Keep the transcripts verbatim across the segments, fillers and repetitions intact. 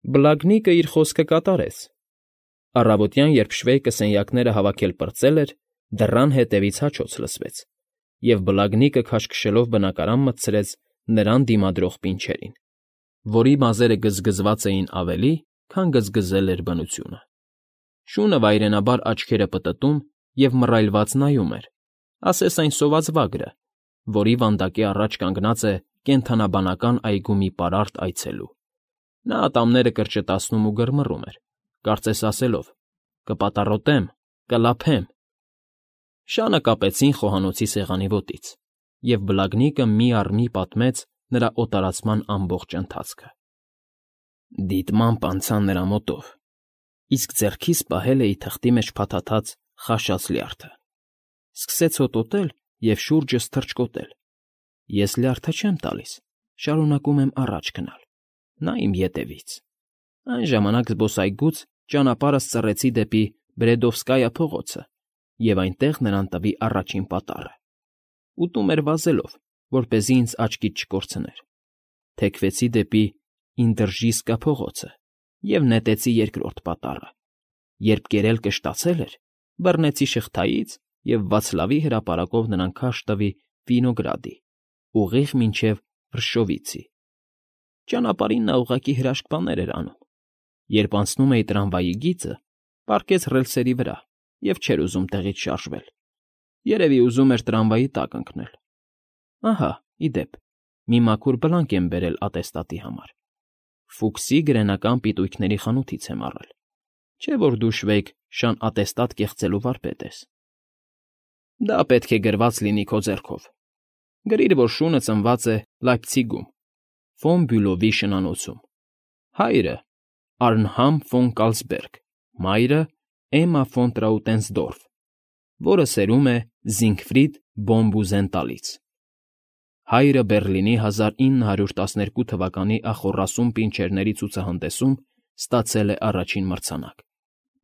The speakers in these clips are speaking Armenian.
Բլագնիկը իր խոսքը կատարեց. առավոտյան, երբ Շվեյկը սենյակները հավաքել պրծել էր, դռան հետևից հաչոց լսվեց, և բլագնիկը քաշքշելով բնակարան մտցրեց նրան դիմադրող պինչերին, որի մազերը գզգզված էին ավելի, քան գզգզել էր բնությունը. շունը վայրենաբար աչքերը պտտում և մռայլված նայում էր, ասես այն սոված վագրը, որի վանդակի առաջ կանգնած է կենդանաբանական այգու մի պարարտ այցելու. նա ատամները կրճտացնում ու գրմռում էր, կարծես ասելով. «Կպատառոտեմ, կլափեմ»։ Շանը կապեցին խոհանոցի սեղանի ոտից, և բլագնիկը մի առ մի պատմեց նրա օտարացման ամբողջ ընթացքը. Դիտմամբ անցա նրա մոտով, իսկ ձեռքիս պահել էի թղթի մեջ փաթաթած խաշած լյարդը. սկսեց հոտոտել և շուրջս թռչկոտել. ես լյարդը չեմ տալիս, շարունակում եմ առաջ գնալ, նա իմ ետևից. այն ժամանակ զբոսայգուց ճանապարհս ծռեցի դեպի Բրեդովսկայա փողոցը և այնտեղ նրան տվի առաջին պատառը. ուտում էր վազելով, որպեսզի ինձ աչքից չկորցներ, թեքվեցի դեպի Ինդրժիսկա փողոցը և նետեցի երկրորդ պատառը. երբ գերելքը շտացել էր, բռնեցի շղթայից և Վացլավի հրապարակով նրան քարշ տվի Վինոգրադի, ուղիղ մինչև Վրշովիցի. ճանապարհին նա ուղղակի հրաշք բաներ էր անում. երբ անցնում էի տրամվայի գիծը, պառկեց ռելսերի վրա և չէր ուզում տեղից շարժվել, երևի ուզում էր տրամվայի տակ ընկնել. ահա, ի դեպ, մի մաքուր բլանկ եմ բերել ատեստատի համար. Ֆուքսի գրենական պիտույքների խանութից եմ առել, չէ՞ որ դու, Շվեյկ, շան ատեստատ կեղծելու վարպետ ես. դա պետք է գրված լինի քո ձեռքով. գրիր, որ շունը ծնված է Լայպցիգում, ֆոն Բյուլովի շնանոցում, հայրը Արնհամ ֆոն Կալսբերգ, մայրը Էմմա ֆոն Տրաուտենսդորֆ, որը սերում է Զիգֆրիդ բոն Բուզենտալից. հայրը Բեռլինի հազար ինը հարյուր տասներկու թվականի ախոռասուն պինչերների ցուցահանդեսում ստացել է առաջին մրցանակ,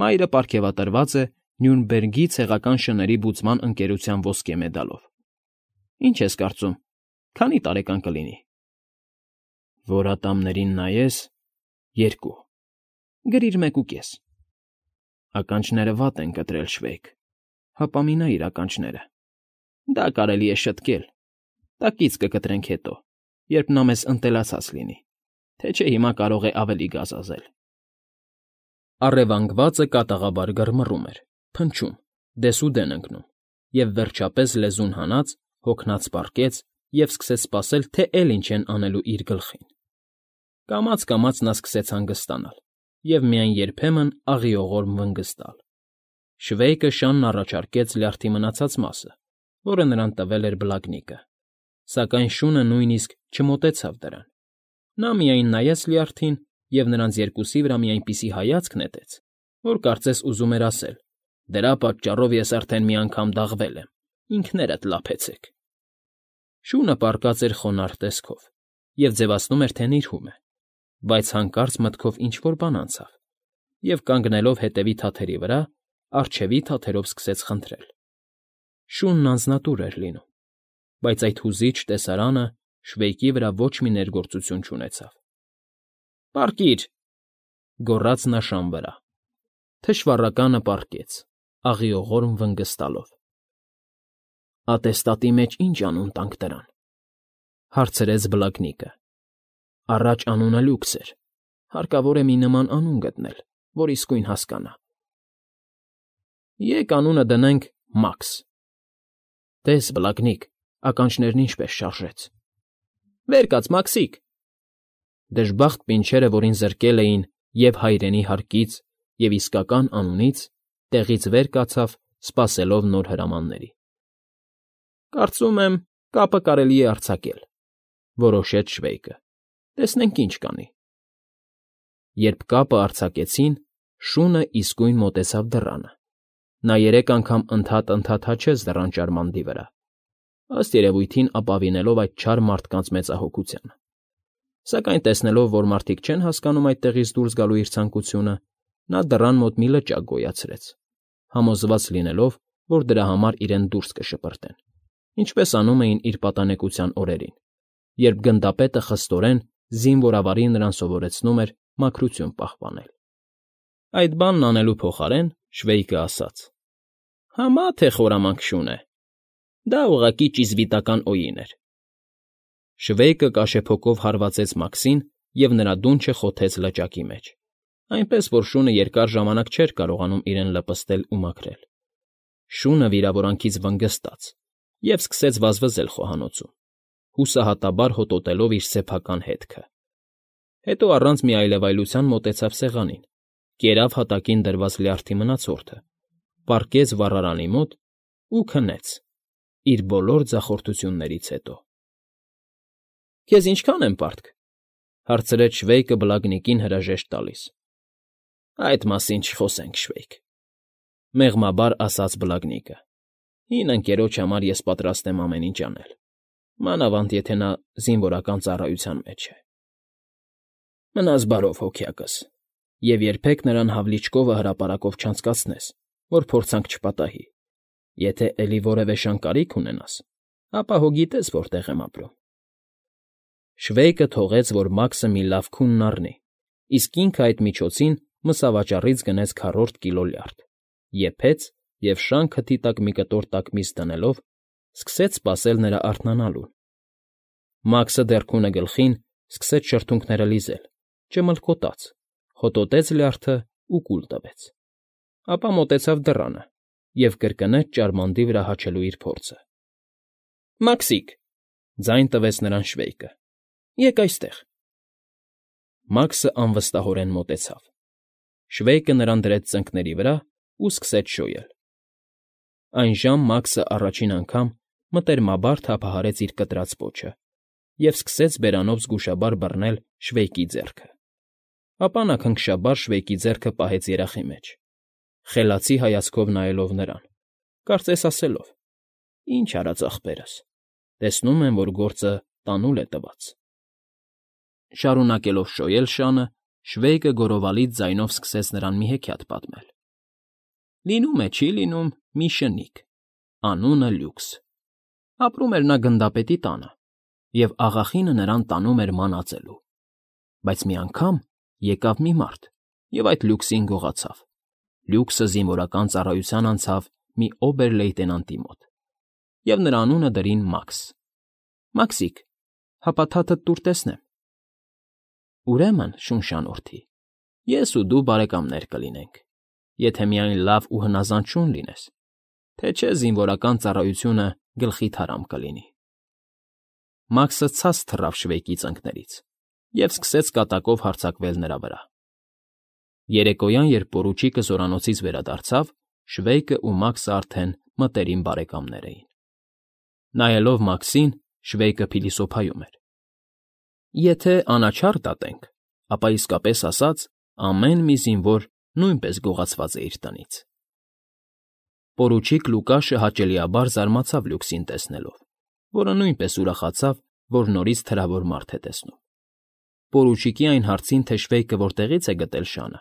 մայրը պարգևատրված է Նյուրնբերգի ցեղական շների բուծման ընկերության ոսկե մեդալով. Ինչ ես կարծում, քանի՞ տարեկան կլինի։ Որ ատամներին նայես՝ երկու, գրիր մեկուկես։ Ականջները վատ են կտրել, Շվեյկ, հապամինայիր ականջները, դա կարելի է շտկել, տակից կկտրենք հետո, երբ նա մեզ ընտելացած լինի, թե չէ հիմա կարող է ավելի գազազել։ Առևանգվածը կատաղաբար գրմռում էր, փնչում, դեսուդեն ընկնում, և վերջապես լեզուն հանած, հոգնած պառկեց և սկսեց սպասել, թե էլի ինչ են անելու իր գլխին։ Կամաց֊կամաց նա սկսեց հանգստանալ և միայն երբեմն աղիողորմ վնգստալ։ Շվեյկը շանն առաջարկեց լյարդի մնացած մասը, որը նրան տվել էր բլագնիկը, սակայն շունը նույնիսկ չմոտեցավ դրան. նա միայն նայեց լյարդին և նրանց երկուսի վրա մի այնպիսի հայացք նետեց, որ կարծես ուզում էր ասել. «Դրա պատճառով ես արդեն մի անգամ դաղվել եմ, ինքներդ լափեցեք»։ Շունը պառկած էր խոնարհ տեսքով և ձևացնում էր, թե նիրհում է, բայց հանկարծ մտքով ինչ֊որ բան անցավ, և կանգնելով հետևի թաթերի վրա, առջևի թաթերով սկսեց խնդրել. շունն անձնատուր էր լինում, բայց այդ հուզիչ տեսարանը Շվեյկի վրա ոչ մի ներգործություն չունեցավ։ «Պառկիր», գոռաց նա շան վրա. թշվառականը պառկեց, աղիողորմ վնգստալով։ «Ատեստատի մեջ ի՞նչ անուն տանք դրան», հարցրեց բլագնիկը։ «Առաջ անունը լյուքս էր, հարկավոր է մի նման անուն գտնել, որ իսկույն հասկանա»։ «Եկ անունը դնենք Մաքս»։ «Տես, բլագնիկ, ականջներն ինչպես շարժեց»։ «Վեր կաց, Մաքսիկ»։ Դժբախտ պինչերը, որին զրկել էին և հայրենի հարկից, և իսկական անունից, տեղից վեր կացավ, սպասելով նոր հրամանների։ «Կարծում եմ, կապը կարելի է արձակել», որոշեց Շվեյկը։ «Տեսնենք ինչ կանի»։ Երբ կապը արձակեցին, շունը իսկույն մոտեցավ դռանը. նա երեք անգամ ընդհատ֊ընդհատ հաչեց դռան ճարմանդի վրա, ըստ երևույթին ապավինելով այդ չար մարդկանց մեծահոգությանը, սակայն տեսնելով, որ մարդիկ չեն հասկանում այդտեղից դուրս գալու իր ցանկությունը, նա դռան մոտ մի լճակ գոյացրեց, համոզված լինելով, որ դրա համար իրեն դուրս կշպրտեն, ինչպես անում էին իր պատանեկության օրերին, երբ գնդապետը խստորեն զինվորավարի նրան սովորեցնում էր մաքրություն պահպանել։ Այդ բանն անելու փոխարեն Շվեյկը ասաց. «Համա թե խորամանկ շուն է, դա ուղղակի ճիզվիտական օյին էր»։ Շվեյկը կաշեփոկով հարվածեց Մաքսին և նրա դունչը խոթեց լճակի մեջ, այնպես որ շունը երկար ժամանակ չէր կարողանում իրեն լպստել ու մաքրել։ Շունը վիրավորանքից վնգստաց և սկսեց վազվզել խոհանոցում, հուսահատաբար հոտոտելով իր սեփական հետքը։ Հետո առանց մի այլևայլության մոտեցավ սեղանին, կերավ հատակին դրված լյարդի մնացորդը, պառկեց վառարանի մոտ ու քնեց իր բոլոր ձախորդություններից հետո։ ֊ Քեզ ինչքա՞ն եմ պարտք,֊ հարցրեց Շվեյկը բլագնիկին հրաժեշտ տալիս։ ֊ Այդ մասին չխոսենք, Շվեյկ,֊ մեղմաբար ասաց բլագնիկը։ Հին ընկերոջ համար ես պատրաստ եմ ամեն ինչ անել, մանավանդ եթե նա զինվորական ծառայության մեջ է։ Մնաս բարով, հոգյակս, և երբեք նրան հավլիճկովը հրապարակով չանցկացնես, որ փորձանք չպատահի։ Եթե էլի որևէ շան կարիք ունենաս, ապա հո գիտես որտեղ եմ ապրում։ Շվեյկը թողեց, որ Մաքսը մի լավ քունն առնի, իսկ ինքը այդ միջոցին մսավաճառից գնեց քառորդ կիլո լյարդ, եփեց և շան քթի տակ մի կտոր տաք միս դնելով սկսեց սպասել նրա արթնանալուն։ Մաքսը դեռ քունը գլխին սկսեց շրթունքները լիզել, ճմլկոտաց, հոտոտեց լյարդը ու կուլ տվեց, ապա մոտեցավ դռանը և կրկնեց ճարմանդի վրա հաչելու իր փորձը։ ֊ Մաքսիկ,֊ ձայն տվեց նրան Շվեյկը,֊ եկ այստեղ։ Մաքսը անվստահորեն մոտեցավ։ Շվեյկը նրան դրեց ծնկների վրա ու սկսեց շոյել։ Այնժամ Մաքսը առաջին անգամ մտերմաբար թափահարեց իր կտրած պոչը և սկսեց բերանով զգուշաբար բռնել Շվեյկի ձեռքը։ Ապա նա քնքշաբար Շվեյկի ձեռքը պահեց երախի մեջ, խելացի հայացքով նայելով նրան, կարծես ասելով. «Ինչ արած ախպերս, տեսնում եմ, որ գործը տանուլ է տված»։ Շարունակելով շոյել շանը, Շվեյկը գոռովալից ձայնով սկսեց նրան մի հեքիաթ պատմել. Լինում է, չի լինում, մի շնիկ, անունը Լյուքս. ապրում էր նա գնդապետի տանը, և աղախինը նրան տանում էր ման ածելու։ Բայց մի անգամ եկավ մի մարդ և այդ Լյուքսին գողացավ։ Լյուքսը զինվորական ծառայության անցավ մի օբեր֊լեյտենանտի մոտ, և նրա անունը դրին Մաքս։ Մաքսիկ, հապա թաթդ տուր տեսնեմ։ Ուրեմն, շունշանորդի, ես ու դու բարեկամներ կլինենք, եթե միայն լավ ու հնազանդ շուն լինես, թե չէ զինվորական ծառայությունը գլխիդ հարամ կլինի։ Մաքսը ցած թռավ Շվեյկի ծնկներից և սկսեց կատակով հարձակվել նրա վրա։ Երեկոյան, երբ պորուչիկը զորանոցից վերադարձավ, Շվեյկը ու Մաքսը արդեն մտերիմ բարեկամներ էին։ Նայելով Մաքսին՝ Շվեյկը փիլիսոփայում էր. «Եթե անաչառ դատենք, ապա իսկապես ասած, ամեն մի զինվոր նույնպես գողացված է իր տնից»։ Պորուչիկ Լուկաշը հաճելիաբար զարմացավ Լյուքսին տեսնելով, որը նույնպես ուրախացավ, որ նորից թրավոր մարդ է տեսնում։ Պորուչիկի այն հարցին, թե Շվեյկը որտեղից է գտել շանը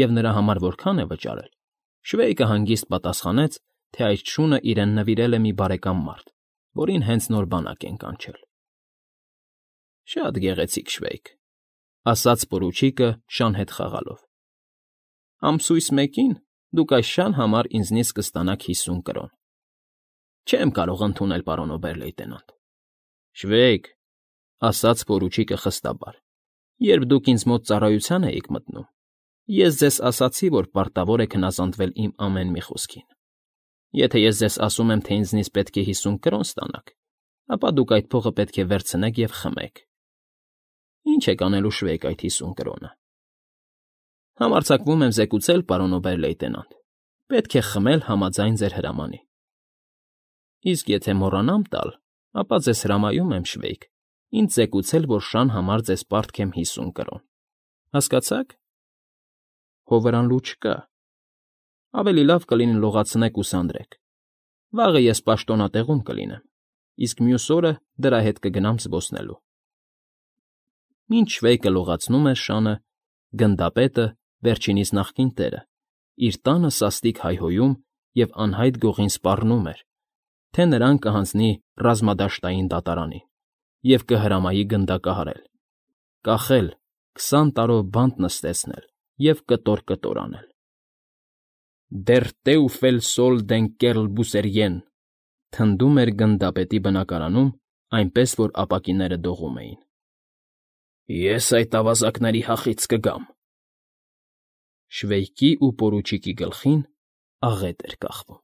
և նրա համար որքան է վճարել, Շվեյկը հանգիստ պատասխանեց, թե այդ շունը իրեն նվիրել է մի բարեկամ մարդ, որին հենց նոր բանակ են կանչել։ ֊ Շատ գեղեցիկ, Շվեյկ,֊ ասաց պորուչիկը շան հետ խաղալով։ Ամսույս մեկին դուք այս շան համար ինձնից կստանաք հիսուն կրոն։ Չեմ կարող ընդունել, պարոն օբեր֊լեյտենանտ։ ֊ Շվեյկ,֊ ասաց պորուչիկը խստաբար,֊ երբ դուք ինձ մոտ ծառայության էիք մտնում, ես ձեզ ասացի, որ պարտավոր եք հնազանդվել իմ ամեն մի խոսքին։ Եթե ես ձեզ ասում եմ, թե ինձնից պետք է հիսուն կրոն ստանաք, ապա դուք այդ փողը պետք է վերցնեք և խմեք։ Ինչ եք անելու, Շվեյկ, այդ հիսուն կրոնը։ Համարձակվում եմ զեկուցել, պարոն օբեր֊լեյտենանտ, պետք է խմել համաձայն ձեր հրամանի։ Իսկ եթե մոռանամ տալ, ապա ձեզ հրամայում եմ, Շվեյկ, ինձ զեկուցել, որ շան համար ձեզ պարտք եմ հիսուն կրոն։ Հասկացա՞ք։ Հո վրան լու չկա։ Ավելի լավ կլինի լողացնեք ու սանրեք։ Վաղը ես պաշտոնատեղում կլինեմ, իսկ մյուս օրը դրա հետ կգնամ զբոսնելու։ Մինչ Շվեյկը լողացնում էր շանը, գնդապետը, վերջինիս նախկին տերը, իր տանը սաստիկ հայհոյում և անհայտ գողին սպառնում էր, թե նրան կհանձնի ռազմադաշտային դատարանին և կհրամայի գնդակահարել, կախել, քսան տարով բանտ նստեցնել և կտոր֊կտոր անել։ «Դեռ Տեուֆել Սոլ դեն կեռլ բուսերյեն», թնդում էր գնդապետի բնակարանում, այնպես որ ապակիները դողում էին։ «Ես այդ ավազակների հախից կգամ»։ Շվեյկի ու պորուչիկի գլխին աղետ էր կախվում։